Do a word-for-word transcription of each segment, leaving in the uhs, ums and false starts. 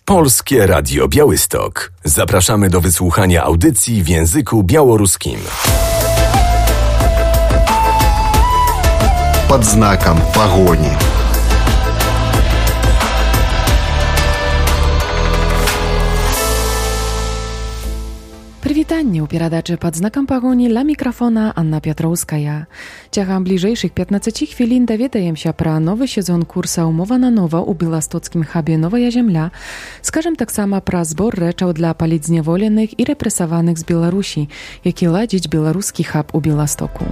Polskie Radio Białystok. Zapraszamy do wysłuchania audycji w języku białoruskim. Pod znakiem pogoni. Прывітанне ў перадачы «Пад знакам пагоні» ля мікрафона Анна Пятроўская. Цягам бліжэйшых пятнаццаці хвілін даведаемся пра новы сезон курса «Умова на нова» ў беластоцкім хабе «Новая зямля». Скажам таксама пра збор рэчаў для палітзняволеных і рэпрэсаваных з Беларусі, які ладзіць беларускі хаб у Беластоку.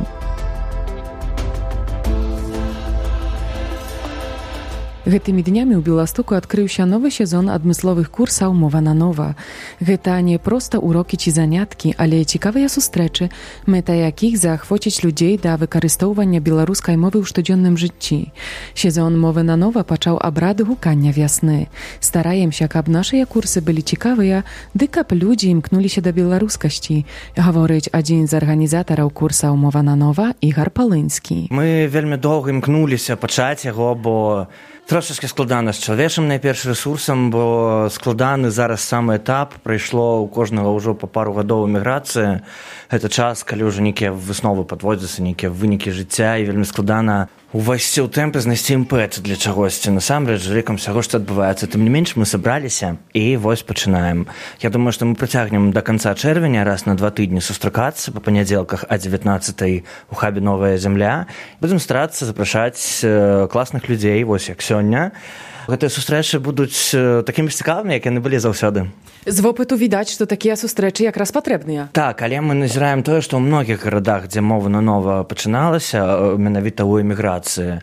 Гэтымі днямі ў Беластоку адкрыўся новы сезон адмысловых курсаў «Мова на нова». Гэта не проста урокі ці заняткі, але цікавыя сустрэчы, мэта якіх заахвоціць людзей да выкарыстоўвання беларускай мовы ў штодзённым жыцці. Сезон «Мовы на нова» пачаў абрад гукання вясны. Стараемся, каб нашыя курсы былі цікавыя, ды каб людзі імкнуліся да беларускасці, гаворыць адзін з арганізатараў курсаў «Мова на нова» Ігар Палынскі. Мы вельмі доўга імкнуліся пачаць яго, бо трошечки складана з чалавечым найперш рэсурсам, бо складаны зараз самы этап, прайшло ў кожнага ўжо па пару гадоў эміграцыі. Гэта час, калі ўжо нейкія высновы падводзяцца, нейкія вынікі жыцця, і вельмі складана увайсці ў тэмп і знайсці імпэт для чагосьці. Насамрэч, лікам усяго, што адбываецца. Тым не менш, мы сабраліся і вось пачынаем. Я думаю, што мы працягнем да канца чэрвеня раз на два тыдні сустракацца па панядзелках а дзевятнаццатай у хабе «Новая зямля». Будзем старацца запрашаць класных людзей, вось як сёння. Гэтыя сустрэчы будуць такімі цікавымі, як яны былі заўсёды. З вопыту відаць, што такія сустрэчы якраз патрэбныя. Так, але мы назіраем тое, што ў многіх гарадах, дзе мова на нова пачыналася, менавіта ў эміграцыі,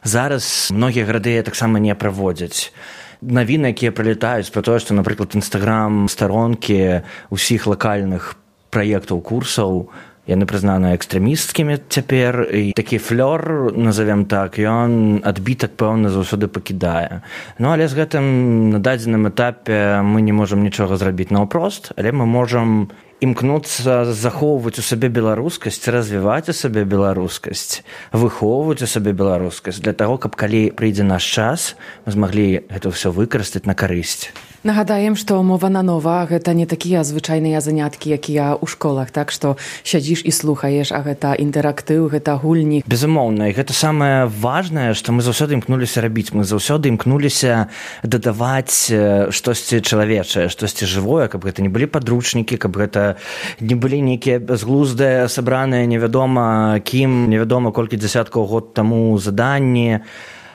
зараз многія гарады таксама не праводзяць. Навіны, якія прылетаюць пра тое, што, напрыклад, інстаграм-старонкі ўсіх лакальных праектаў курсаў, яны прызнаны экстрэмісцкімі цяпер, і такі флёр, назовем так, ён адбітак, пэўна, заўсёды пакідае. Ну, але з гэтым на дадзеным этапе мы не можам нічога зрабіць наўпрост, але мы можам імкнуцца захоўваць у сабе беларускасць, развіваць у сабе беларускасць, выхоўваць у сабе беларускасць, для таго, каб калі прыйдзе наш час, мы змаглі гэта ўсё выкарыстаць на карысць. Нагадаем, што «Мова на нова» гэта не такія звычайныя заняткі, якія ў школах, так што сядзіш і слухаеш, а гэта інтэрактыў, гэта гульні. Безумоўна, і гэта самае важнае, што мы заўсёды імкнуліся рабіць. Мы заўсёды імкнуліся дадаваць штосьці чалавечае, штосьці жывое, каб гэта не былі падручнікі, каб гэта не былі нейкія бязглуздыя, сабраныя невядома кім, невядома колькі дзясяткаў год таму заданні,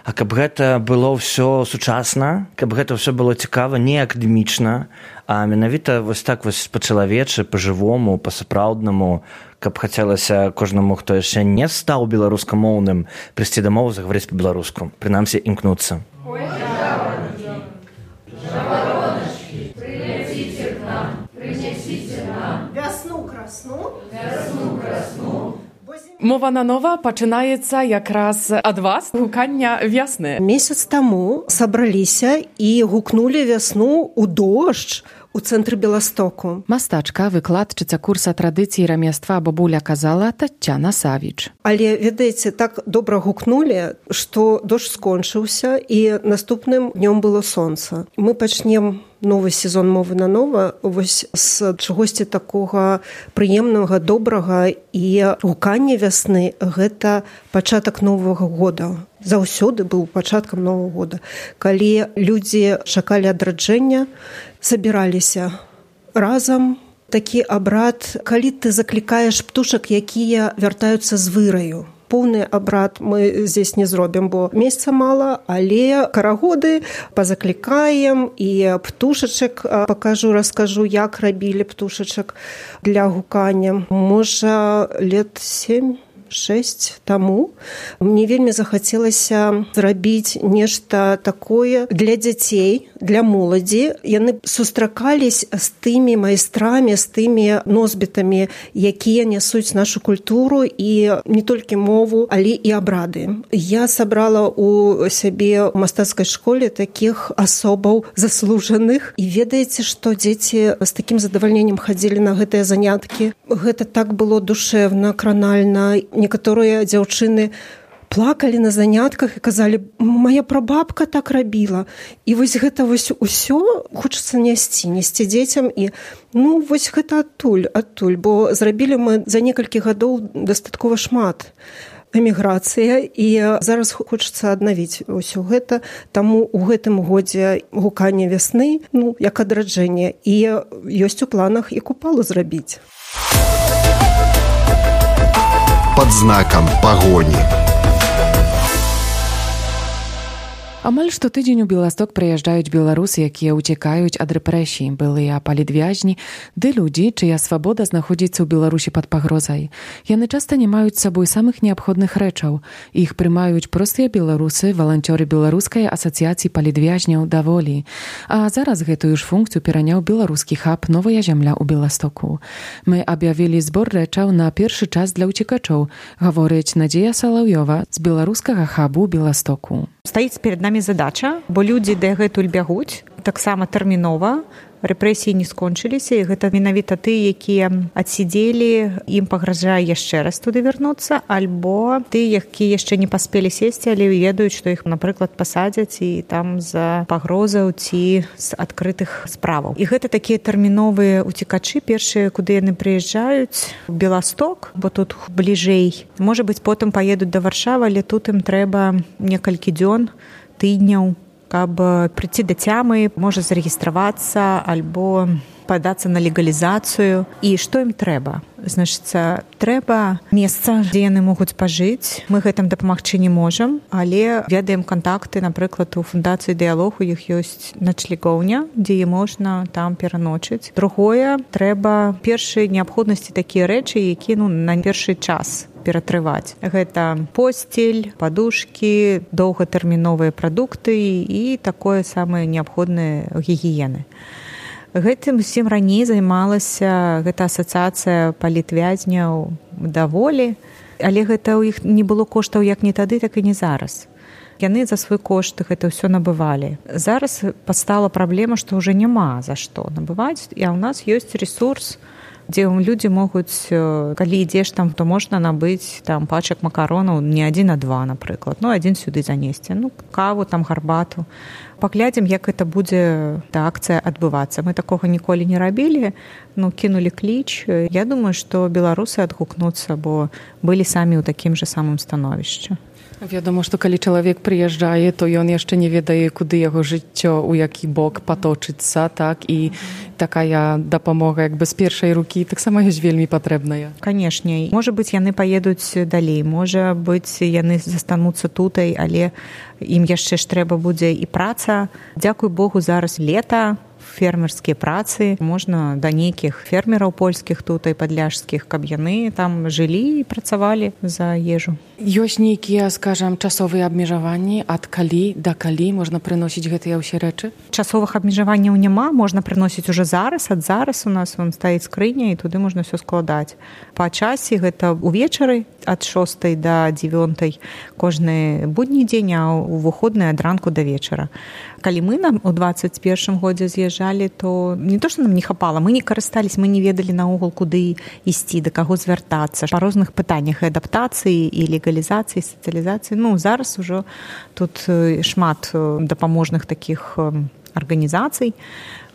а каб гэта было ўсё сучасна, каб гэта ўсё было цікава, не акадэмічна, а менавіта вось так вось па-чалавечы, па-жывому, па-сапраўднаму, каб хацелася кожнаму, хто яшчэ не стаў беларускамоўным, прыйсці дамоў, загаварыць па-беларуску, прынамсі імкнуцца. Мова на нова пачынаецца якраз ад вас, гукання вясны. Месяц таму сабраліся і гукнулі вясну ў дождж у цэнтры Беластоку. Мастачка, выкладчыца курса традыцыі рамяства бабуля казала Таццяна Савіч. Але, ведаеце, так добра гукнулі, што дождж скончыўся і наступным днём было сонца. Мы пачнем новы сезон «Мовы на нова» вось з чагосьці такога прыемнага, добрага, і гуканне вясны – гэта пачатак новага года. Заўсёды быў пачаткам новага года. Калі людзі чакалі адраджэння, забіраліся разам. Такі абрад, калі ты заклікаеш птушак, якія вяртаюцца з выраю. Поўны абрад мы здесь не зробім, бо месяца мала, але карагоды пазаклікаем і птушачак пакажу, раскажу, як рабілі птушачак для гукання. Можа, лет сем шэсць таму мне вельмі захацелася зрабіць нешта такое для дзяцей, для моладзі. Яны сустракались з тымі майстрамі, з тымі носьбітамі, якія нясуць нашу культуру і не толькі мову, але і абрады. Я сабрала у сябе ў мастацкай школе такіх асобаў заслужаных. І ведаеце, што дзеці з такім задавальненнем хадзілі на гэтыя заняткі. Гэта так было душэвна, кранальна. Некаторыя дзяўчыны плакалі на занятках і казалі: «Мая прабабка так рабіла». І вось гэта вось усё хочацца несці, несці дзецям. І ну вось гэта адтуль, адтуль, бо зрабілі мы за некалькі гадоў дастаткова шмат. Эміграцыя, і зараз хочацца аднавіць ўсё гэта. Таму ў гэтым годзе гуканне вясны, ну, як адраджэнне, і ёсць у планах і купалу зрабіць. Пад знакам пагоні. Амаль штотыдзень у Беласток прыязджаюць беларусы, якія ўцякаюць ад рэпрэсій, былыя палітвязні, ды людзі, чыя свабода знаходзіцца ў Беларусі пад пагрозай. Яны часта не маюць з сабой самых неабходных рэчаў. Іх прымаюць простыя беларусы, валанцёры беларускай асацыяцыі палітвязняў «Даволі». А зараз гэтую ж функцыю пераняў беларускі хаб «Новая зямля» ў Беластоку. Мы аб'явілі збор рэчаў на першы час для ўцекачоў, гаворыць Надзея Салаўёва з беларускага хабу Беластоку. Стаіць перад намі задача, бо людзі дагэтуль бягуць, таксама тэрмінова, рэпрэсіі не скончыліся, і гэта менавіта тыя, якія адсидзелі, ім пагражае яшчэ раз туды вярнуцца, альбо тыя, якія яшчэ не паспелі сесці, але ведаюць, што іх, напрыклад, пасадзяць і там з пагрозаў ці з адкрытых справаў. І гэта такія тэрміновыя уцекачы, першыя, куды яны прыязджаюць, у Беласток, бо тут бліжэй. Можа быць, потым паедуць да Варшавы, але тут ім трэба некалькі дзён, тыдняў, каб прыйти да цямы, можа зарэгістравацца альбо падацца на легалізацыю. І што ім трэба? Значыцца, трэба месца, дзе яны могуць пажыць. Мы гэтым дапамагчы не можам, але ведаем кантакты, напрыклад, у фундацыі «Дыялог», у іх ёсць начлегоўня, дзе можна там пераночыць. Другое, трэба першыя неабходнасці такія рэчы, якія ну, на першы час ператрываць. Гэта посцель, падушкі, доўгатэрміновыя прадукты і такое самае неабходнае гігіены. Гэтым усім раней займалася гэта асацыяцыя палітвязняў «Даволі», але гэта ў іх не было коштаў як не тады, так і не зараз. Яны за свой кошт гэта ўсё набывалі. Зараз пастала праблема, што ўжо няма за што набываць, а ў нас ёсць ресурс, дзе людзі могуць, калі ідзеш там, то можна набыць там пачак макаронаў не адзін, а два, напрыклад. Ну, адзін сюды занесці. Ну, каву, там гарбату. Паглядзім, як гэта будзе та акцыя адбывацца. Мы такога ніколі не рабілі, ну, кінулі кліч. Я думаю, што беларусы адгукнуцца, бо былі самі ў такім жа самым становішчы. Вядома, што калі чалавек прыязджае, то ён яшчэ не ведае, куды яго жыццё, у які бок паточыцца, так, і такая дапамога як бы з першай рукі таксама ёсць вельмі патрэбная. Канешне, можа быць, яны паедуць далей, можа быць, яны застануцца тутай, але ім яшчэ ж трэба будзе і праца. Дзякуй Богу, зараз лета, фермерскія працы, можна да нейкіх фермераў польскіх тут і падляшскіх, каб яны там жылі і працавалі за ежу. Ёсць нейкія, скажам, часовыя абмежаванні, ад калі да калі можна прыносіць гэтыя ўсе рэчы? Часовых абмежаванняў няма, можна прыносіць уже зараз, ад зараз у нас вон стаіць скрыня і туды можна ўсё складаць. Па часе гэта увечары ад шостай да дзевёнтай кожны будні дзень, а ў выходны ад ранку да вечара. Калі мы нам у дваццаць першым годзе з'язджалі, то не то, што нам не хапала, мы не карыстались, мы не ведалі наогул, куды ісці, да каго звяртацца. Па розных пытаннях адаптацыі і легалізацыі, сацыялізацыі. Ну, зараз ужо тут шмат дапаможных такіх арганізацый,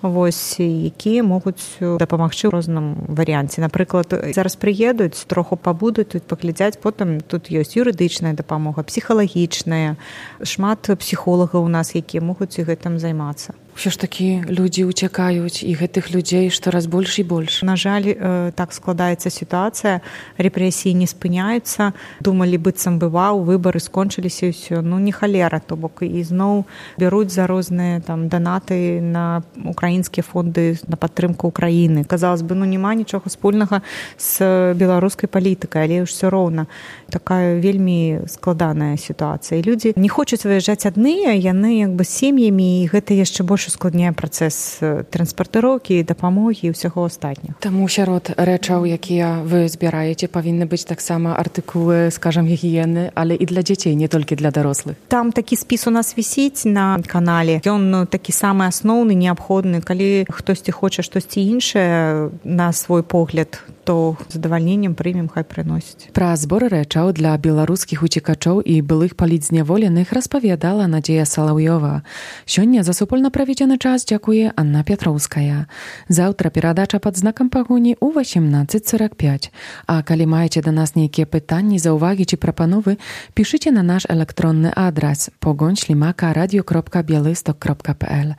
вось, якія могуць дапамагчы ў розным варыянце. Напрыклад, зараз прыедуць, троху пабудуць, тут паглядзяць, потым тут ёсць юрыдычная дапамога, псіхалагічная, шмат псіхолагаў у нас, якія могуць і гэтым займацца. Усё ж такі людзі ўцякаюць, і гэтых людзей штораз больш і больш. На жаль, так складаецца сітуацыя, рэпрэсіі не спыняюцца, думалі, быццам бываў, выбары скончыліся і ўсё. Ну, не халера, то бок і зноў бяруць за розныя там данаты на украінскія фонды на падтрымку Украіны. Казалось бы, ну, няма нічога спольнага з беларускай палітыкай, але ўсё роўна. Такая вельмі складаная сітуацыя. І людзі не хочуць выязджаць адныя, яны як бы сем'ямі, і гэта яшчэ больш ускладняе працэс транспартыроўкі, дапамогі і ўсяго астатняга. Таму сярод рэчаў, якія вы збіраеце, павінны быць таксама артыкулы, скажам, гігіены, але і для дзяцей, не толькі для дарослых. Там такі спіс у нас вісіць на канале. Ён такі самы асноўны, неабходны. Калі хтосьці хоча штосьці іншае, на свой погляд, то задавальненнем прымем, хай прыносіць. Пра збор рэчаў для беларускіх уцекачоў і былых палітзняволеных распавядала Надзея Салаўёва. Сёння за супольна праведзены час дзякуе Анна Пятроўская. Заўтра перадача пад знакам пагоні ў восемнадцать сорок пять. А калі маеце да нас нейкія пытанні, заўвагі ці прапановы, пішыце на наш электронны адрас погонь шлімака радио кропка белысток кропка пл.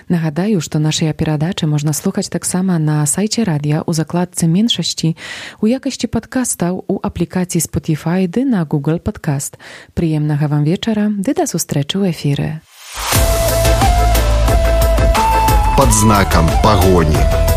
Нагадаю, што нашыя перадачы можна слухаць таксама на сайце радыё у закладцы меншасці, у якасці падкастаў у аплікацыі Spotify ды на Google Podcast. Прыемнага вам вечара, ды да сустрэчы ў эфіры. Под знаком погони.